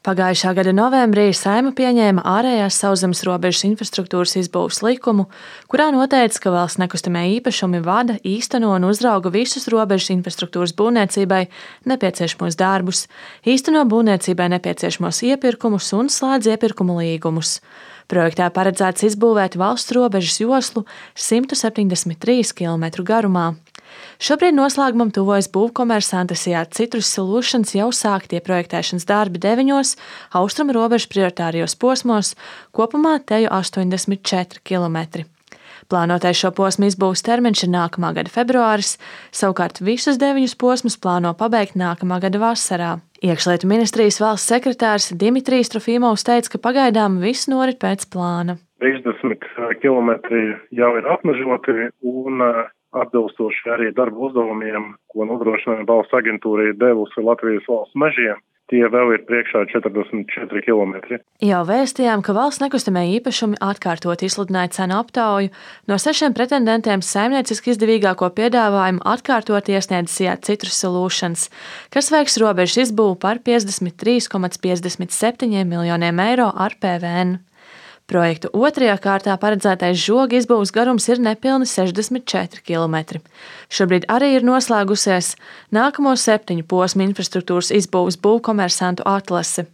Pagājušā gada novembrī Saeima pieņēma ārējās sauszemes robežas infrastruktūras izbūves likumu, kurā noteikts, ka valsts nekustamie īpašumi vada, īsteno un uzrauga visus robežas infrastruktūras būvniecībai nepieciešamos darbus, īsteno būvniecībai nepieciešamos iepirkumus un slēdz iepirkumu līgumus. Projektā paredzēts izbūvēt valsts robežas joslu 173 km garumā. Šobrīd noslēgumam tuvojas būvkomersanta SIA Citrus Solutions jau sāktie projektēšanas darbi 9 austrumu robežas prioritārijos posmos, kopumā teju 84 km. Plānotais šo posmu izbūves termiņš ir nākamā gada februāris, savukārt visus 9 posmus plāno pabeigt nākamā gada vasarā. Iekšlietu ministrijas valsts sekretārs Dimitrijs Trofimovs teica, ka pagaidām viss norit pēc plāna. 30 km jau ir apmežoti un atbilstoši arī darba uzdevumiem, ko nodrošināja valsts aģentūra ir devusi Latvijas valsts mežiem. Tie vēl ir priekšā 44 km. Jau vēstījām, ka valsts nekustamie īpašumi atkārtot izsludināja cenu aptauju. No 6 pretendentiem saimnieciski izdevīgāko piedāvājumu atkārtot iesniedz SIA Citrus Solutions, kas veiks robežas izbūvi par 53,57 miljoniem eiro ar PVN. Projektu otrajā kārtā paredzētais žoga izbūves garums ir nepilni 64 km. Šobrīd arī ir noslēgusies nākamo 7 posmu infrastruktūras izbūves būvkomersantu atlase.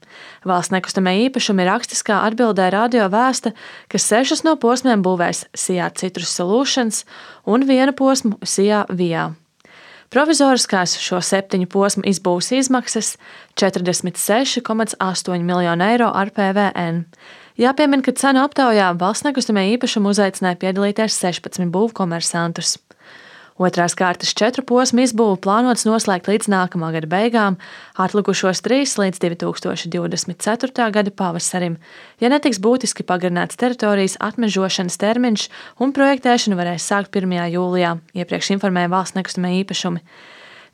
Valsts nekustamie īpašumi rakstiskā atbildē radio vēsta, ka 6 no posmiem būvēs SIA Citrus Solutions un 1 posmu SIA Via. Provizoriskās šo 7 posmu izbūves izmaksas 46,8 miljonu eiro ar PVN. Jāpiemina, ka cenu aptaujā valsts nekustamie īpašumi uzaicināja piedalīties 16 būvkomersantus. Otrās kārtas 4 posmu izbūvi plānots noslēgt līdz nākamā gada beigām, atlikušos 3 līdz 2024. gada pavasarim, ja netiks būtiski pagarināts teritorijas atmežošanas termiņš un projektēšanu varēs sākt 1. jūlijā, iepriekš informēja valsts nekustamie īpašumi.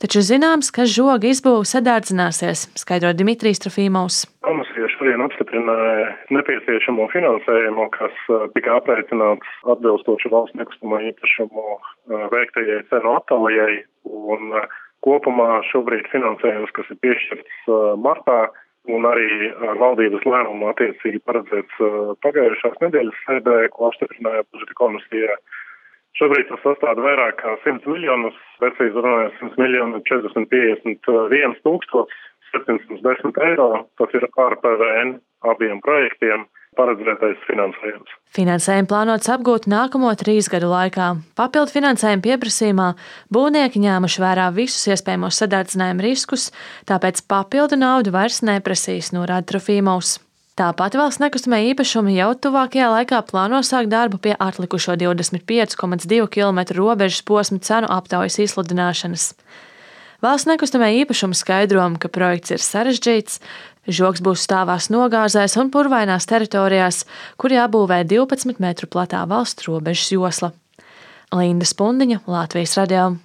Taču zināms, ka žoga izbūve sadārdzināsies, skaidro Dimitrijs Trofimovs. Komisija šodien apstiprināja nepieciešamo finansējumu, kas tika aprēķināts atbilstoši valsts nekustamo īpašumu veiktajai cenu aptaujai, un kopumā šobrīd finansējums, kas ir piešķirts martā, un arī valdības lēmumu attiecīgi paredzēts pagājušās nedēļas sēdē, ko apstiprināja budžeta komisija. Šobrīd tas sastāv vairāk kā 100 miljonus, precīzi runājot 100 miljonu 451 710 eiro. Tas ir ar PVN abiem projektiem paredzētais finansējums. Finansējumu plānots apgūt nākamo 3 gadu laikā. Papildu finansējuma pieprasījumā būvnieki ņēmuši vērā visus iespējamos sadārdzinājumu riskus, tāpēc papildu naudu vairs neprasīs, norāda Trofimovs. Tāpat valsts nekustamie īpašumi jau tuvākajā laikā plāno sākt darbu pie atlikušo 25,2 km robežas posmu cenu aptaujas izsludināšanas. Valsts nekustamie īpašumi skaidro, ka projekts ir sarežģīts, žogs būs stāvās nogāzēs un purvainās teritorijās, kur jābūvē 12 metru platā valsts robežas josla. Linda Spundiņa, Latvijas radio.